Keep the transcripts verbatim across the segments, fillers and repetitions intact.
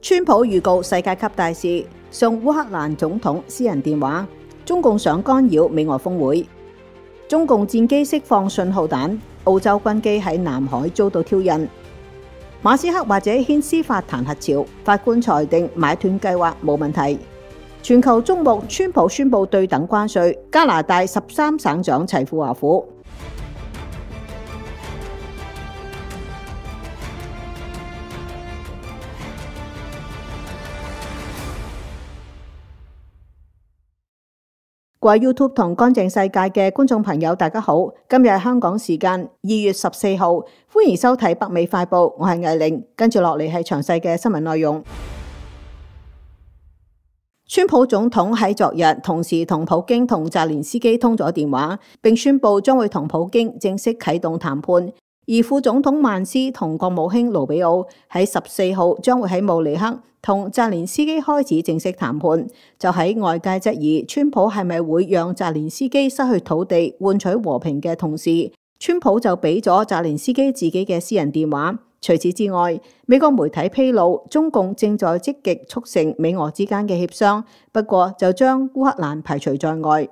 川普預告世界級大事，送烏克蘭總統私人電話，中共想干擾美俄峰會。中共戰機釋放信號彈，澳洲軍機喺南海遭到挑釁。馬斯克或者掀司法彈劾潮，法官裁定買斷計劃冇問題。全球矚目，川普宣布對等關稅，加拿大十三省長齊富華府。各位 YouTube 同乾淨世界嘅觀眾朋友，大家好！今日係香港時間二月十四號，歡迎收睇北美快報，我係艾玲，跟住落嚟係詳細嘅新聞內容。川普總統喺昨日同時同普京同澤連斯基通咗電話，並宣布將會同普京正式啟動談判。而副總統曼斯同國務卿盧比奧喺十四號將會喺慕尼黑同澤連斯基開始正式談判。就喺外界質疑川普係咪會讓澤連斯基失去土地換取和平嘅同時，川普就俾咗澤連斯基自己嘅私人電話。除此之外，美國媒體披露中共正在積極促成美俄之間嘅協商，不過就將烏克蘭排除在外。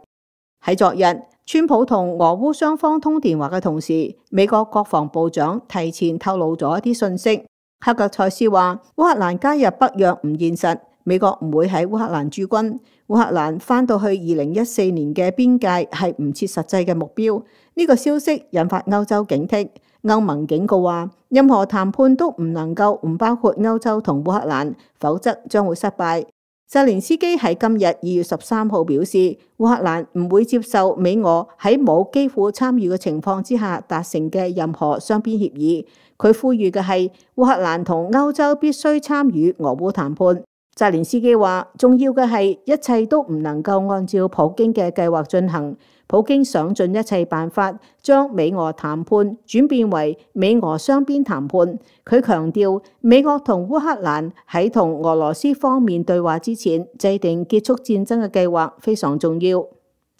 喺昨日，川普同俄烏雙方通電話嘅同時，美國國防部長提前透露咗一啲信息。黑格塞斯話烏克蘭加入北約唔現實，美國唔會喺烏克蘭駐軍，烏克蘭翻到去二零一四年嘅邊界係唔切實際嘅目標。呢個消息引發歐洲警惕，歐盟警告話任何談判都唔能夠唔包括歐洲同烏克蘭，否則將會失敗。澤連斯基喺今日二月十三號表示，烏克蘭唔會接受美俄喺冇基輔參與嘅情況之下達成嘅任何雙邊協議。佢呼籲嘅係烏克蘭同歐洲必須參與俄烏談判。澤連斯基話，重要嘅係一切都唔能夠按照普京嘅計劃進行。普京想盡一切辦法將美俄談判轉變為美俄雙邊談判。佢強調，美國同烏克蘭喺同俄羅斯方面對話之前，制定結束戰爭嘅計劃非常重要。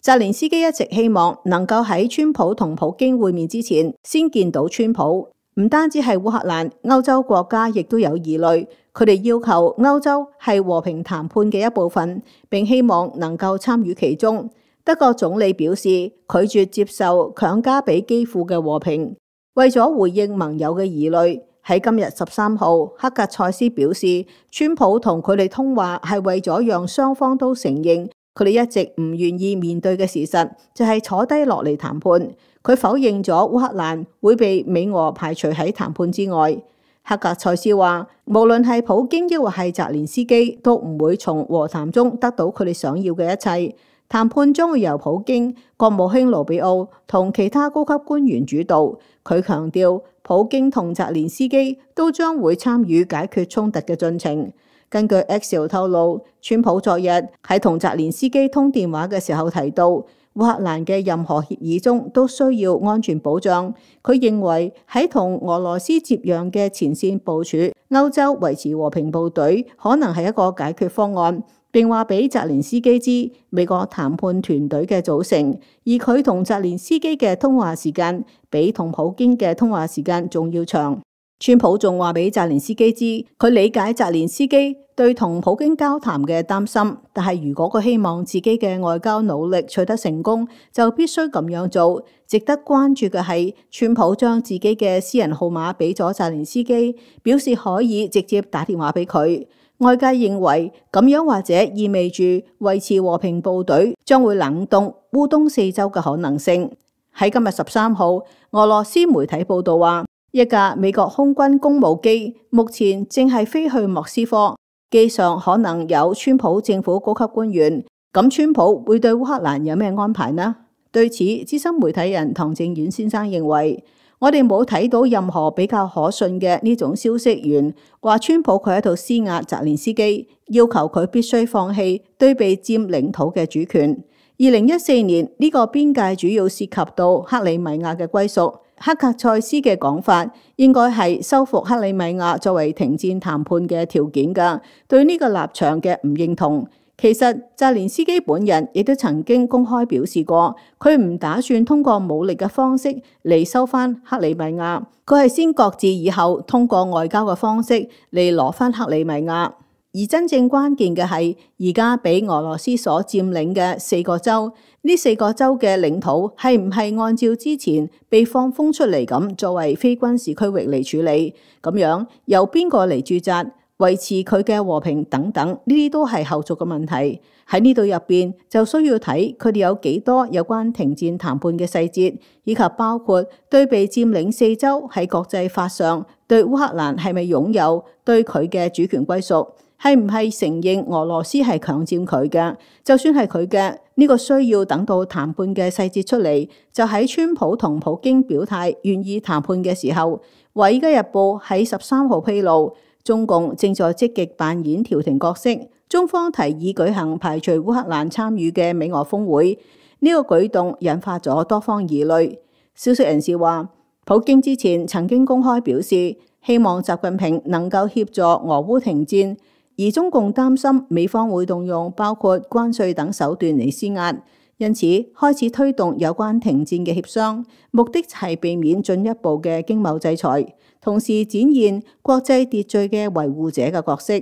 澤連斯基一直希望能夠喺川普同普京會面之前先見到川普。唔單止係烏克蘭，歐洲國家亦都有疑慮，佢哋要求歐洲係和平談判嘅一部分，並希望能夠參與其中。德國總理表示拒絕接受強加俾基輔嘅和平。為咗回應盟友嘅疑慮，喺今日十三號，黑格塞斯表示，川普同佢哋通話係為咗讓雙方都承認佢哋一直唔願意面對嘅事實，就係坐低落嚟談判。佢否認咗烏克蘭會被美俄排除喺談判之外。黑格塞斯話，無論係普京抑或係澤連斯基，都唔會從和談中得到佢哋想要嘅一切。談判將會由普京、國務卿盧比奧同其他高級官員主導。佢強調，普京同澤連斯基都將會參與解決衝突嘅進程。根據 X 透露，川普昨日喺同澤連斯基通電話嘅時候提到，烏克蘭嘅任何協議中都需要安全保障。佢認為喺同俄羅斯接壤嘅前線部署歐洲維持和平部隊可能係一個解決方案。並話俾澤連斯基知美國談判團隊嘅組成，而佢同澤連斯基嘅通話時間比同普京嘅通話時間仲要長。川普仲話俾澤連斯基知，佢理解澤連斯基對同普京交談嘅擔心，但係如果佢希望自己嘅外交努力取得成功，就必須咁樣做。值得關注嘅係，川普將自己嘅私人號碼俾咗澤連斯基，表示可以直接打電話俾佢。外界認為咁樣或者意味住維持和平部隊將會冷凍烏東四州嘅可能性。喺今日十三號，俄羅斯媒體報道話，一架美國空軍公務機目前正係飛去莫斯科，機上可能有川普政府高級官員。咁川普會對烏克蘭有咩安排呢？對此，資深媒體人唐正遠先生認為，我哋冇睇到任何比較可信嘅呢種消息源話川普佢喺度施壓澤連斯基，要求佢必須放棄對被佔領土嘅主權。二零一四年呢個邊界主要涉及到克里米亞嘅歸屬。黑格塞斯嘅講法應該係收復克里米亞作為停戰談判嘅條件㗎。對呢個立場嘅唔認同，其實澤連斯基本人亦都曾經公開表示過，佢唔打算通過武力嘅方式嚟收翻克里米亞，佢係先擱置以後通過外交嘅方式嚟攞翻克里米亞。而真正關鍵嘅係而家俾俄羅斯所佔領嘅四個州，呢四個州嘅領土係唔係按照之前被放風出嚟咁作為非軍事區域嚟處理？咁樣由邊個嚟駐紮、維持佢嘅和平等等，呢啲都係後續嘅問題。喺呢度入邊就需要睇佢哋有幾多有關停戰談判嘅細節，以及包括對被佔領四州喺國際法上對烏克蘭係咪擁有對佢嘅主權歸屬。係唔係承認俄羅斯係強佔佢嘅？就算係佢嘅，呢個需要等到談判嘅細節出嚟。就喺川普同普京表態願意談判嘅時候，《華爾街日報》喺十三號披露，中共正在積極扮演調停角色。中方提議舉行排除烏克蘭參與嘅美俄峰會，呢個舉動引發咗多方疑慮。消息人士話，普京之前曾經公開表示，希望習近平能夠協助俄烏停戰。而中共擔心美方會動用包括關稅等手段嚟施壓，因此開始推動有關停戰嘅協商，目的係避免進一步嘅經貿制裁，同時展現國際秩序嘅維護者嘅角色。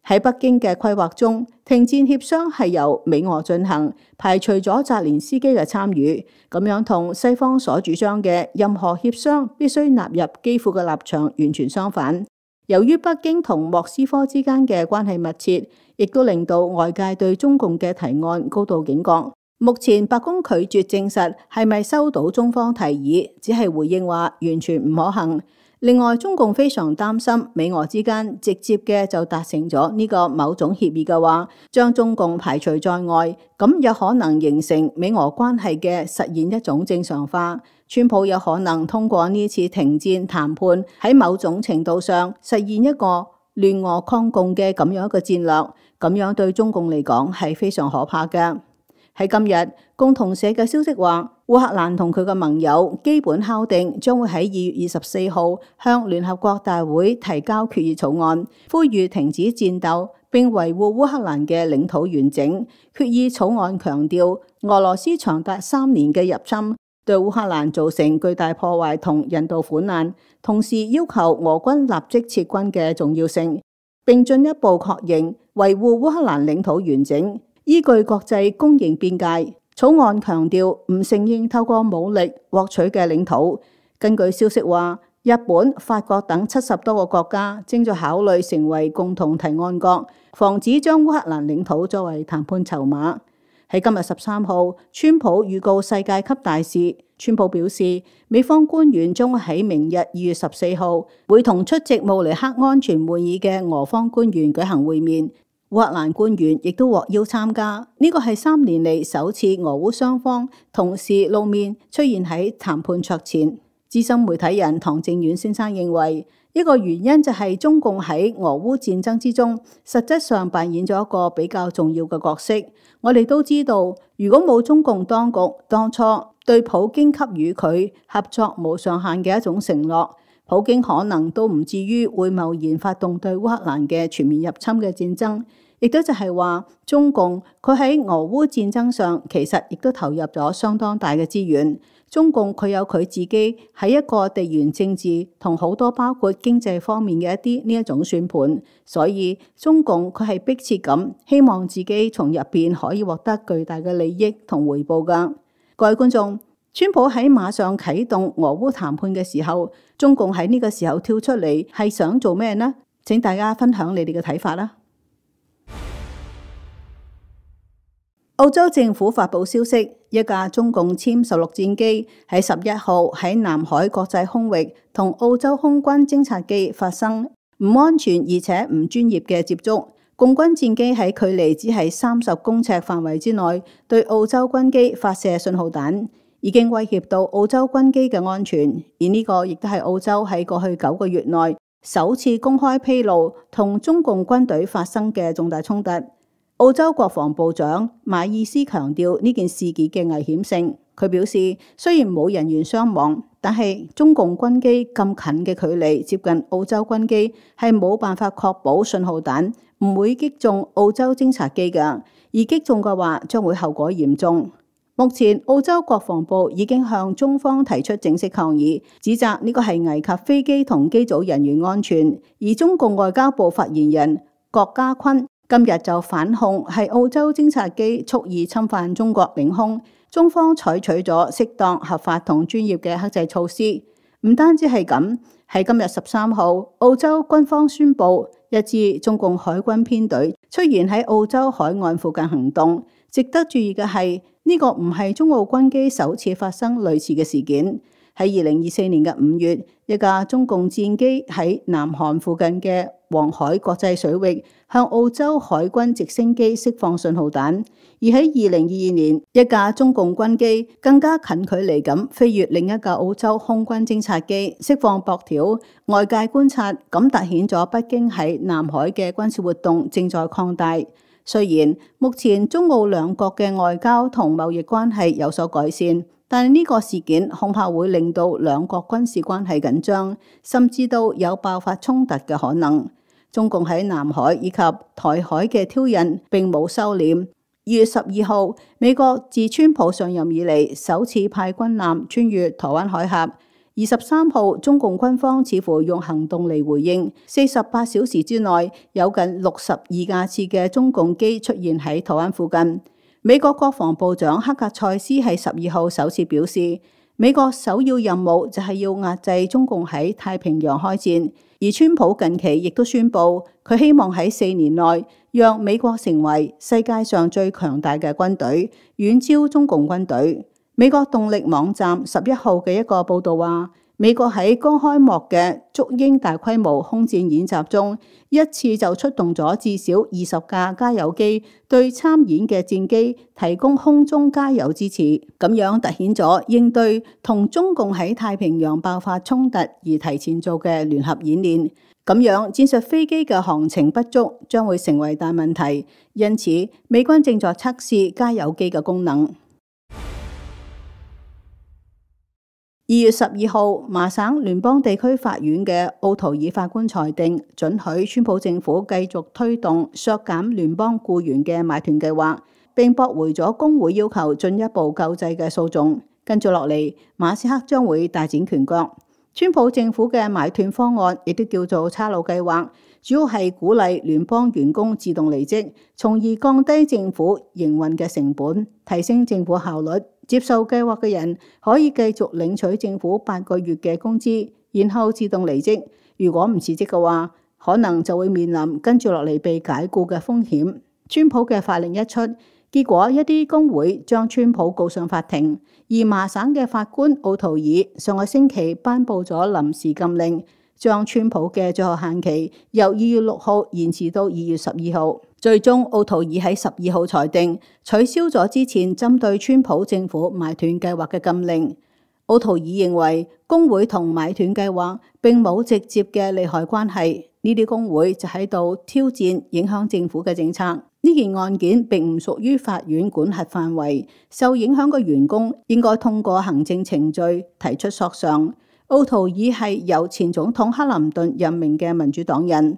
喺北京嘅規劃中，停戰協商係由美俄進行，排除咗澤連斯基嘅參與，咁樣同西方所主張嘅任何協商必須納入基輔嘅立場完全相反。由於北京同莫斯科之間嘅關係密切，亦都令到外界對中共嘅提案高度警覺。目前白宮拒絕證實係咪收到中方提議，只係回應話完全唔可行。另外，中共非常擔心美俄之間直接嘅就達成咗呢個某種協議嘅話，將中共排除在外，咁有可能形成美俄關係嘅實現一種正常化。川普有可能通過呢次停戰談判，喺某種程度上實現一個聯俄抗共嘅咁樣一個戰略，咁樣對中共嚟講係非常可怕嘅。喺今日，共同社嘅消息話，烏克蘭同佢嘅盟友基本敲定將會喺二月二十四號向聯合國大會提交決議草案，呼籲停止戰鬥並維護烏克蘭嘅領土完整。決議草案強調，俄羅斯長達三年嘅入侵對烏克蘭造成巨大破壞同人道苦難，同時要求俄軍立即撤軍嘅重要性，並進一步確認維護烏克蘭領土完整，依據國際公認邊界。草案強調唔承認透過武力獲取嘅領土。根據消息話，日本、法國等七十多個國家正在考慮成為共同提案國，防止將烏克蘭領土作為談判籌碼。喺今日十三號，川普預告世界級大事。川普表示，美方官員將會喺明日二月十四號會同出席慕尼黑安全會議嘅俄方官員舉行會面。烏克蘭官員亦都獲邀參加，呢個係三年嚟首次俄烏雙方同時露面出現喺談判桌前。資深媒體人唐正遠先生認為，一個原因就係中共喺俄烏戰爭之中，實質上扮演咗一個比較重要嘅角色。我哋都知道，如果冇中共當局當初對普京給予佢合作無上限嘅一種承諾，普京可能都唔至於會貿然發動對烏克蘭嘅全面入侵嘅戰爭。亦都就係話，中共佢喺俄烏戰爭上其實亦都投入咗相當大嘅資源。中共佢有佢自己喺一個地緣政治同好多包括經濟方面嘅一啲呢一種算盤，所以中共佢係迫切咁希望自己從入邊可以獲得巨大嘅利益同回報㗎。各位觀眾，川普喺馬上啟動俄烏談判嘅時候，中共喺呢個時候跳出嚟係想做咩呢？請大家分享你哋嘅睇法啦。澳洲政府發佈消息，一架中共殲十六戰機喺十一號喺南海國際空域同澳洲空軍偵察機發生唔安全而且唔專業嘅接觸。共軍戰機喺距離只係三十公尺範圍之內對澳洲軍機發射信號彈，已經威脅到澳洲軍機嘅安全。而呢個亦都係澳洲喺過去九個月內首次公開披露同中共軍隊發生嘅重大衝突。澳洲國防部長馬爾斯強調呢件事件嘅危險性，佢表示，雖然冇人員傷亡，但係中共軍機咁近嘅距離接近澳洲軍機，係冇辦法確保信號彈唔會擊中澳洲偵察機㗎，而擊中嘅話將會後果嚴重。目前澳洲國防部已經向中方提出正式抗議，指責呢個係危及飛機同機組人員安全。而中共外交部發言人郭家坤今日就反控係澳洲偵察機蓄意侵犯中國領空，中方採取咗適當、合法同專業嘅克制措施。唔單止係咁，喺今日十三號，澳洲軍方宣布一支中共海軍編隊出現喺澳洲海岸附近行動。值得注意嘅係，呢個唔係中澳軍機首次發生類似嘅事件。喺二零二四年嘅五月，一架中共戰機喺南韓附近嘅黃海國際水域向澳洲海軍直升機釋放信號彈，而喺二零二二年，一架中共軍機更加近距離咁飛越另一架澳洲空軍偵察機，釋放駁條。外界觀察咁凸顯咗北京喺南海嘅軍事活動正在擴大。雖然目前中澳兩國嘅外交同貿易關係有所改善，但係呢個事件恐怕會令到兩國軍事關係緊張，甚至到有爆發衝突嘅可能。中共喺南海以及台海嘅挑釁並冇收斂。二月十二號，美國自川普上任以嚟首次派軍艦穿越台灣海峽。二十三號，中共軍方似乎用行動嚟回應。四十八小時之內，有近六十二架次嘅中共機出現喺台灣附近。美國國防部長克格塞斯喺十二號首次表示，美國首要任務就係要壓制中共喺太平洋開戰。而川普近期亦都宣布，佢希望喺四年內讓美國成為世界上最強大嘅軍隊，遠超中共軍隊。美國動力網站十一號嘅一個報導話，美國喺剛開幕嘅祝鷹大規模空戰演習中，一次就出動咗至少二十架加油機，對參演嘅戰機提供空中加油支持，咁樣凸顯咗應對同中共喺太平洋爆發衝突而提前做嘅聯合演練。咁樣戰術飛機嘅航程不足將會成為大問題，因此美軍正在測試加油機嘅功能。二月十二號，麻省聯邦地區法院嘅奧圖爾法官裁定，准許川普政府繼續推動削減聯邦僱員嘅買斷計劃，並駁回咗工會要求進一步救濟嘅訴訟。跟住落嚟，馬斯克將會大展拳腳。川普政府嘅買斷方案亦都叫做差佬計劃，主要係鼓勵聯邦員工自動離職，從而降低政府營運嘅成本，提升政府效率。接受計劃嘅人可以繼續領取政府八個月嘅工資，然後自動離職。如果唔辭職嘅話，可能就會面臨跟住落嚟被解僱嘅風險。川普嘅法令一出，結果一啲工會將川普告上法庭，而麻省嘅法官奧圖爾上個星期頒布咗臨時禁令，將川普嘅最後限期由二月六號延遲到二月十二號。最終，奧圖爾喺十二號裁定取消咗之前針對川普政府買斷計劃嘅禁令。奧圖爾認為工會同買斷計劃並冇直接嘅利害關係，呢啲工會就喺度挑戰影響政府嘅政策。呢件案件並唔屬於法院管轄範圍，受影響嘅員工應該通過行政程序提出索償。奧圖爾係由前總統克林頓任命嘅民主黨人。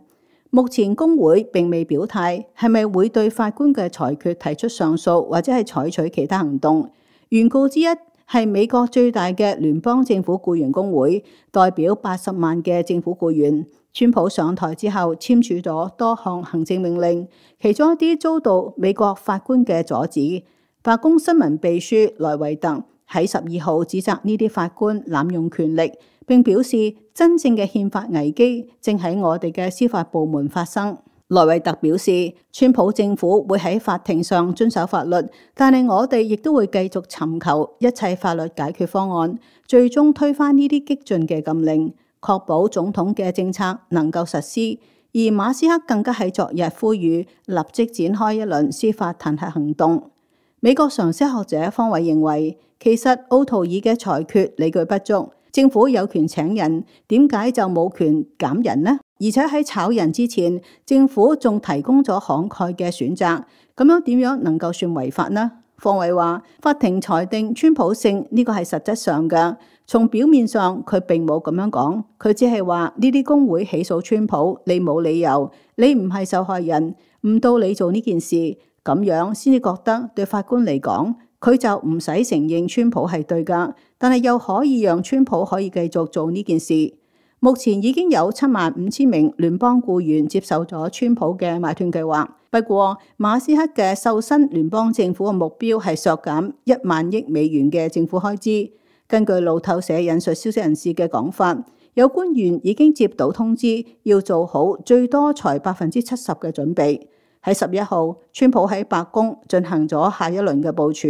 目前工會並未表態係咪會對法官嘅裁決提出上訴，或者係採取其他行動。原告之一係美國最大嘅聯邦政府僱員工會，代表八十萬嘅政府僱員。川普上台之後簽署咗多項行政命令，其中一啲遭到美國法官嘅阻止。白宮新聞秘書萊維特喺十二號指責呢啲法官濫用權力，並表示真正嘅憲法危機正喺我哋嘅司法部門發生。萊維特表示，川普政府會喺法庭上遵守法律，但係我哋亦都會繼續尋求一切法律解決方案，最終推翻呢啲激進嘅禁令，確保總統嘅政策能夠實施。而馬斯克更加喺昨日呼籲立即展開一輪司法彈劾行動。美國常識學者方偉認為，其實奧圖爾嘅裁決理據不足。政府有權請人，點解就冇權減人呢？而且喺炒人之前，政府仲提供咗慷慨嘅選擇，咁樣點樣能夠算違法呢？方偉話：法庭裁定川普勝呢個係實質上嘅，從表面上佢並冇咁樣講，佢只係話呢啲工會起訴川普，你冇理由，你唔係受害人，唔到你做呢件事，咁樣先至覺得對法官嚟講，佢就唔使承認川普係對㗎，但係又可以讓川普可以繼續做呢件事。目前已經有七萬五千名聯邦僱員接受咗川普嘅買斷計劃。不過馬斯克嘅瘦身聯邦政府嘅目標係削減一萬億美元嘅政府開支。根據路透社引述消息人士嘅講法，有官員已經接到通知，要做好最多才百分之七十嘅準備。喺十一號，川普喺白宮進行咗下一輪嘅部署，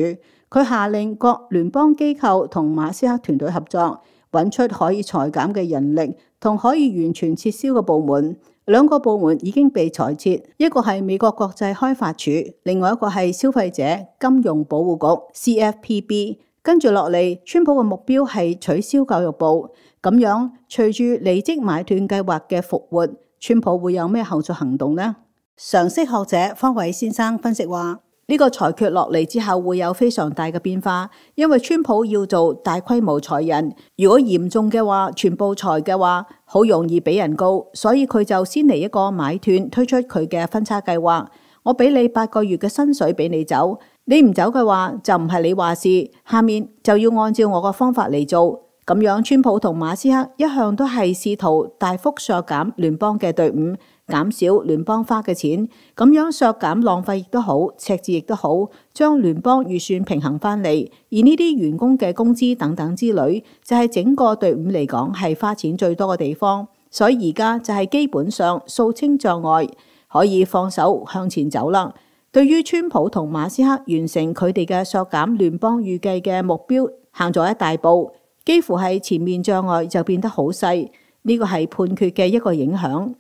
佢下令各聯邦機構同馬斯克團隊合作，揾出可以裁減嘅人力同可以完全撤銷嘅部門。兩個部門已經被裁撤，一個係美國國際開發署，另外一個係消費者金融保護局 C F P B。跟住落嚟，川普嘅目標係取消教育部。咁樣隨住離職買斷計劃嘅復活，川普會有咩後續行動呢？常識學者方偉先生分析話：呢個裁決落嚟之後會有非常大嘅變化，因為川普要做大規模裁人，如果嚴重嘅話，全部裁嘅話，好容易俾人告，所以佢就先嚟一個買斷，推出佢嘅分叉計劃。我俾你八個月嘅薪水俾你走，你唔走嘅話就唔係你話事，下面就要按照我個方法嚟做。咁樣川普同馬斯克一向都係試圖大幅削減聯邦嘅隊伍，減少聯邦花嘅錢，咁樣削減浪費亦都好，赤字亦都好，將聯邦預算平衡翻嚟。而呢啲員工嘅工資等等之類，就係整個隊伍嚟講係花錢最多嘅地方。所以而家就係基本上掃清障礙，可以放手向前走啦。對於川普同馬斯克完成佢哋嘅削減聯邦預計嘅目標，行咗一大步，幾乎係前面障礙就變得好細。呢個係判決嘅一個影響。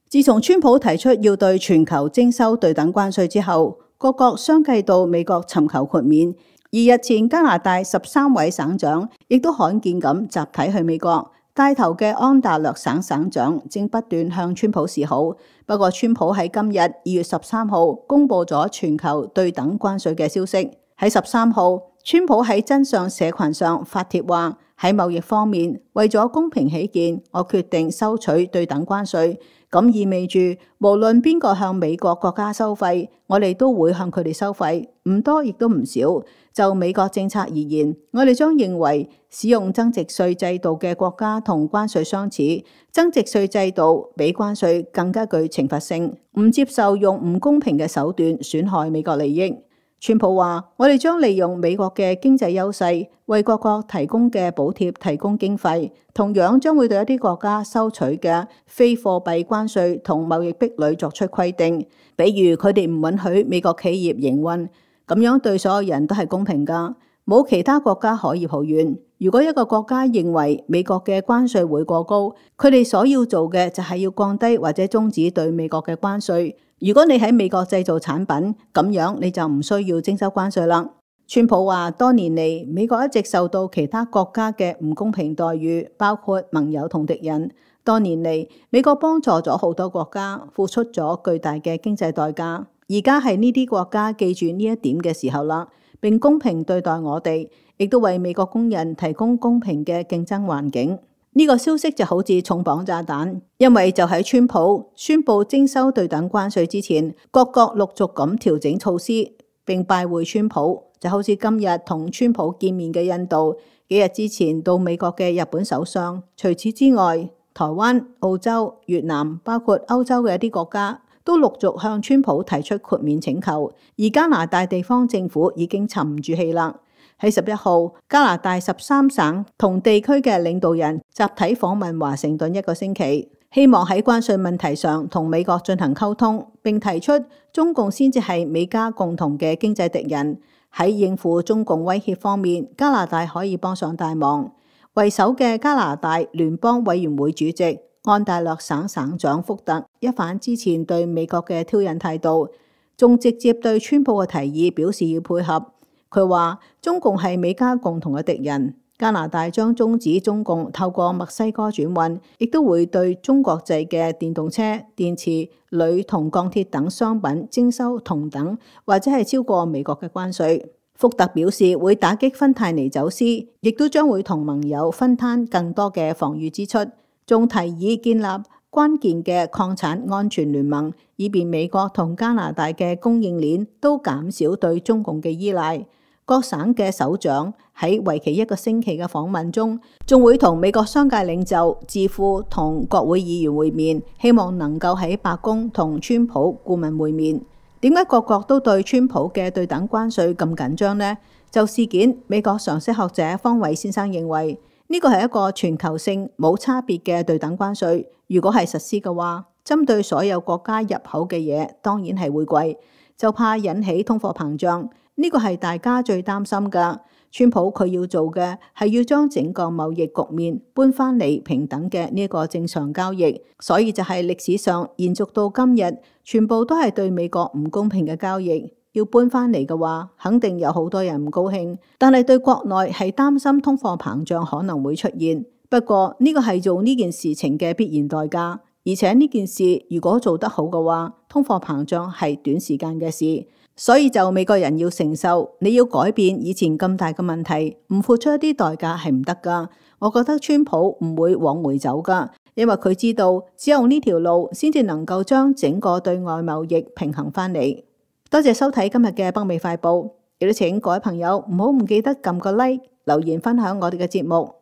自從川普提出要對全球徵收對等關稅之後，各國相繼到美國尋求豁免。而日前加拿大十三位省長亦都罕見咁集體去美國，帶頭嘅安大略省省長正不斷向川普示好。不過川普喺今日二月十三號公布咗全球對等關稅嘅消息。喺十三號，川普喺真相社群上發帖話，喺貿易方面，為咗公平起見，我決定收取對等關稅。咁意味住，無論邊個向美國國家收費，我哋都會向佢哋收費，唔多亦都唔少。就美國政策而言，我哋將認為使用增值稅制度嘅國家同關稅相似，增值稅制度比關稅更加具懲罰性，唔接受用唔公平嘅手段損害美國利益。川普話：我哋將利用美國嘅經濟優勢，為各國提供嘅補貼提供經費，同樣將會對一啲國家收取嘅非貨幣關稅同貿易壁壘作出規定，比如佢哋唔允許美國企業營運，咁樣對所有人都係公平㗎，冇其他國家可以抱怨。如果一個國家認為美國嘅關稅會過高，佢哋所要做嘅就係要降低或者終止對美國嘅關稅。如果你喺美國製造產品，咁樣你就唔需要徵收關稅啦。川普話：多年嚟，美國一直受到其他國家嘅唔公平待遇，包括盟友同敵人。多年嚟，美國幫助咗好多國家，付出咗巨大嘅經濟代價。而家係呢啲國家記住呢一點嘅時候啦，並公平對待我哋，亦都為美國工人提供公平嘅競爭環境。呢個消息就好似重磅炸彈，因為就喺川普宣布徵收對等關稅之前，各國陸續咁調整措施，並拜會川普。就好似今日同川普見面嘅印度，幾日之前到美國嘅日本首相。除此之外，台灣、澳洲、越南，包括歐洲嘅一啲國家，都陸續向川普提出豁免請求。而加拿大地方政府已經沉唔住氣啦。喺十一號，加拿大十三省同地區嘅領導人集體訪問華盛頓一個星期，希望喺關稅問題上同美國進行溝通，並提出中共先至係美加共同嘅經濟敵人。喺應付中共威脅方面，加拿大可以幫上大忙。為首嘅加拿大聯邦委員會主席安大略省省長福特一反之前對美國嘅挑釁態度，仲直接對川普嘅提議表示要配合。佢話中共係美加共同嘅敵人，加拿大將終止中共透過墨西哥轉運，亦都會對中國製嘅電動車、電池、鋁同鋼鐵等商品徵收同等或者係超過美國嘅關稅。福特表示會打擊芬太尼走私，亦都將會同盟友分攤更多嘅防禦支出，仲提議建立關鍵嘅礦產安全聯盟，以便美國同加拿大嘅供應鏈都減少對中共嘅依賴。各省嘅首長喺為期一個星期嘅訪問中，仲會同美國商界領袖、智庫同國會議員會面，希望能夠喺白宮同川普顧問會面。點解各國都對川普嘅對等關稅咁緊張呢？就事件，美國常識學者方偉先生認為，呢個係一個全球性冇差別嘅對等關稅。如果係實施嘅話，針對所有國家入口嘅嘢，當然係會貴，就怕引起通貨膨脹。呢個係大家最擔心㗎。川普佢要做嘅係要將整個貿易局面搬翻嚟平等嘅呢個正常交易，所以就係歷史上延續到今日，全部都係對美國唔公平嘅交易。要搬翻嚟嘅話，肯定有好多人唔高興，但係對國內係擔心通貨膨脹可能會出現。不過呢個係做呢件事情嘅必然代價，而且呢件事如果做得好嘅話，通貨膨脹係短時間嘅事。所以就美國人要承受，你要改變以前咁大嘅問題，唔付出一啲代價係唔得㗎。我覺得川普唔會往回走㗎，因為佢知道只有呢條路先至能夠將整個對外貿易平衡翻嚟。多謝收睇今日嘅北美快報，亦都請各位朋友唔好唔記得撳個 like、留言分享我哋嘅節目。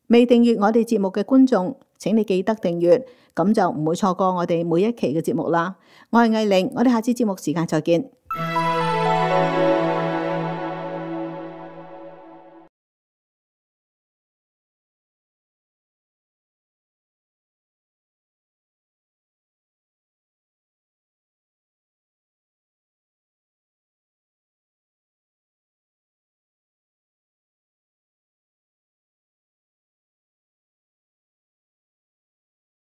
未訂閱我哋節目嘅觀眾，請你記得訂閱，咁就唔會錯過我哋每一期嘅節目啦。我係藝玲，我哋下次節目時間再見。